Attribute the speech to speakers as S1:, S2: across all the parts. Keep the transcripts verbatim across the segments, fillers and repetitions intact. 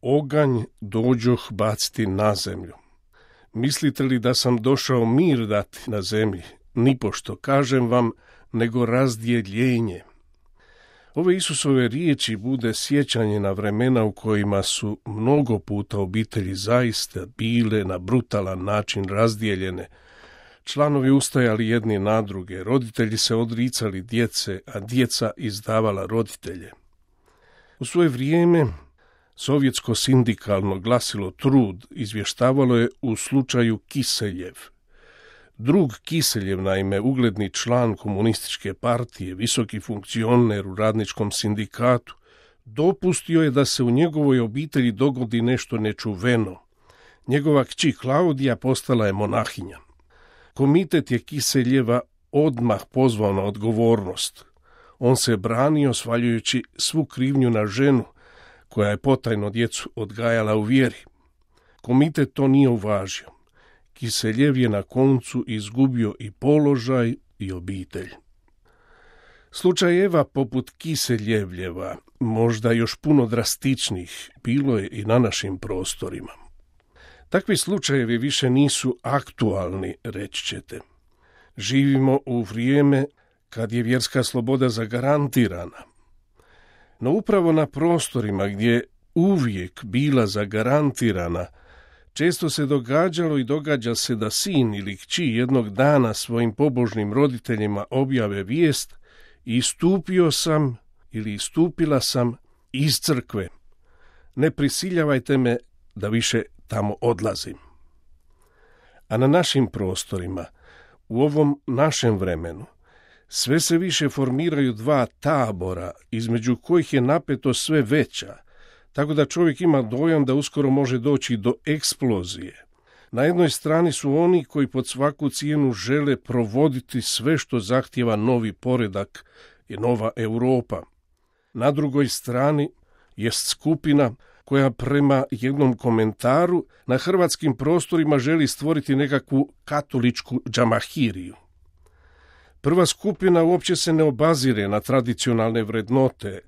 S1: Oganj dođoh baciti na zemlju. Mislite li da sam došao mir dati na zemlji? Nipošto, kažem vam, nego razdjeljenje. Ove Isusove riječi bude sjećanje na vremena u kojima su mnogo puta obitelji zaista bile na brutalan način razdijeljene. Članovi ustajali jedni na druge, roditelji se odricali djece, a djeca izdavala roditelje. U svoje vrijeme sovjetsko sindikalno glasilo Trud izvještavalo je u slučaju Kiseljev. Drug Kiseljev, naime, ugledni član komunističke partije, visoki funkcioner u radničkom sindikatu, dopustio je da se u njegovoj obitelji dogodi nešto nečuveno. Njegova kći Klaudija postala je monahinja. Komitet je Kiseljeva odmah pozvao na odgovornost. On se branio svaljujući svu krivnju na ženu, koja je potajno djecu odgajala u vjeri. Komitet to nije uvažio. Kiseljev je na koncu izgubio i položaj i obitelj. Slučajeva poput Kiseljevljeva, možda još puno drastičnih, bilo je i na našim prostorima. Takvi slučajevi više nisu aktualni, reći ćete. Živimo u vrijeme kad je vjerska sloboda zagarantirana. No upravo na prostorima gdje je uvijek bila zagarantirana, često se događalo i događa se da sin ili kći jednog dana svojim pobožnim roditeljima objave vijest: istupio sam ili istupila sam iz crkve. Ne prisiljavajte me da više tamo odlazim. A na našim prostorima, u ovom našem vremenu, sve se više formiraju dva tabora, između kojih je napetost sve veća, tako da čovjek ima dojam da uskoro može doći do eksplozije. Na jednoj strani su oni koji pod svaku cijenu žele provoditi sve što zahtijeva novi poredak i nova Europa. Na drugoj strani jest skupina koja prema jednom komentaru na hrvatskim prostorima želi stvoriti nekakvu katoličku džamahiriju. Prva skupina uopće se ne obazire na tradicionalne vrednote,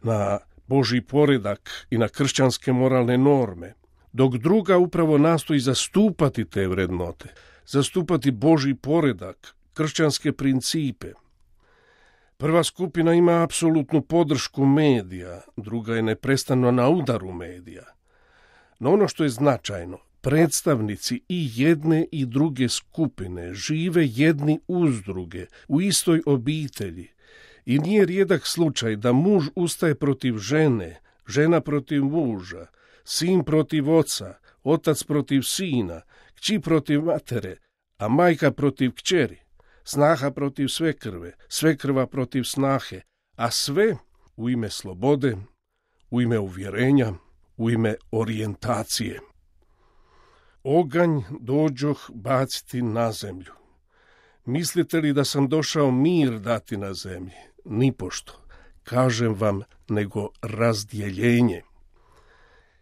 S1: na Božji poredak i na kršćanske moralne norme, dok druga upravo nastoji zastupati te vrednote, zastupati Božji poredak, kršćanske principe. Prva skupina ima apsolutnu podršku medija, druga je neprestano na udaru medija. No ono što je značajno, predstavnici i jedne i druge skupine žive jedni uz druge, u istoj obitelji. I nije rijedak slučaj da muž ustaje protiv žene, žena protiv muža, sin protiv oca, otac protiv sina, kći protiv matere, a majka protiv kćeri, snaha protiv svekrve, svekrva protiv snahe, a sve u ime slobode, u ime uvjerenja, u ime orijentacije. Oganj dođoh baciti na zemlju. Mislite li da sam došao mir dati na zemlji? Nipošto, kažem vam, nego razdjeljenje.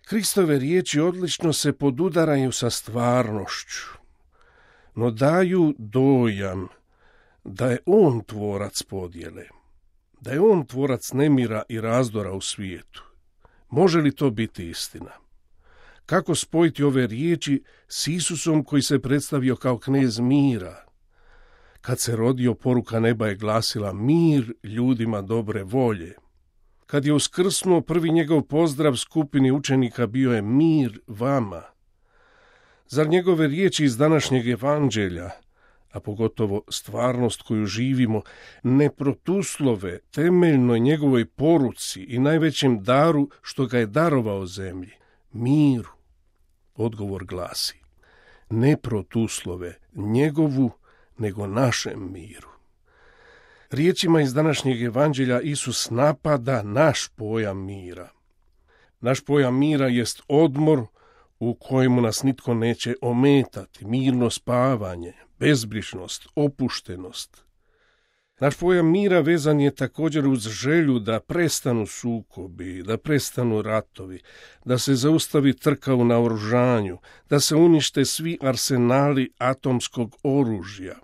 S1: Kristove riječi odlično se podudaraju sa stvarnošću, no daju dojam da je on tvorac podjele, da je on tvorac nemira i razdora u svijetu. Može li to biti istina? Kako spojiti ove riječi s Isusom koji se predstavio kao knez mira? Kad se rodio, poruka neba je glasila: mir ljudima dobre volje. Kad je uskrsnuo, prvi njegov pozdrav skupini učenika bio je: mir vama. Zar njegove riječi iz današnjeg evanđelja, a pogotovo stvarnost koju živimo, ne protuslove temeljnoj njegovoj poruci i najvećem daru što ga je darovao zemlji, miru? Odgovor glasi: ne protuslove njegovu, nego našem miru. Riječima iz današnjeg evanđelja Isus napada naš pojam mira. Naš pojam mira jest odmor u kojemu nas nitko neće ometati, mirno spavanje, bezbrižnost, opuštenost. Naš pojam mira vezan je također uz želju da prestanu sukobi, da prestanu ratovi, da se zaustavi trka u naoružanju, da se unište svi arsenali atomskog oružja.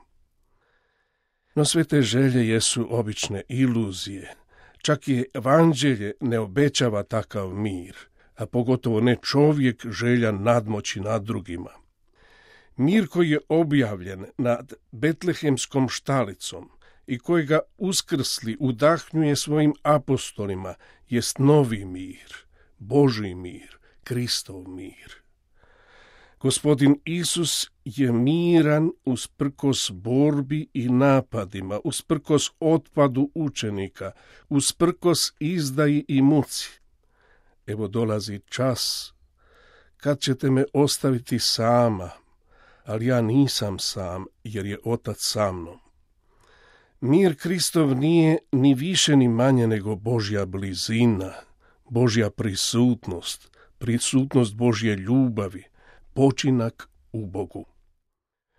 S1: No sve te želje jesu obične iluzije. Čak i evanđelje ne obećava takav mir. a pogotovo ne čovjek željan nadmoći nad drugima. Mir koji je objavljen nad betlehemskom štalicom i kojega uskrsli udahnjuje svojim apostolima jest novi mir, Božji mir, Kristov mir. Gospodin Isus je miran usprkos borbi i napadima, usprkos otpadu učenika, usprkos izdaji i muci. Evo dolazi čas kad ćete me ostaviti sama, ali ja nisam sam, jer je Otac sa mnom. Mir Kristov nije ni više ni manje nego Božja blizina, Božja prisutnost, prisutnost Božje ljubavi, počinak u Bogu.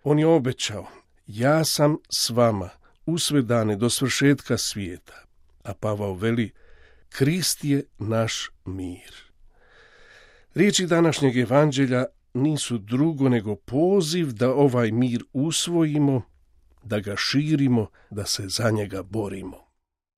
S1: On je obećao, ja sam s vama u sve dane do svršetka svijeta, a Pavao veli, Krist je naš mir. Riječi današnjeg evanđelja nisu drugo nego poziv da ovaj mir usvojimo, da ga širimo, da se za njega borimo.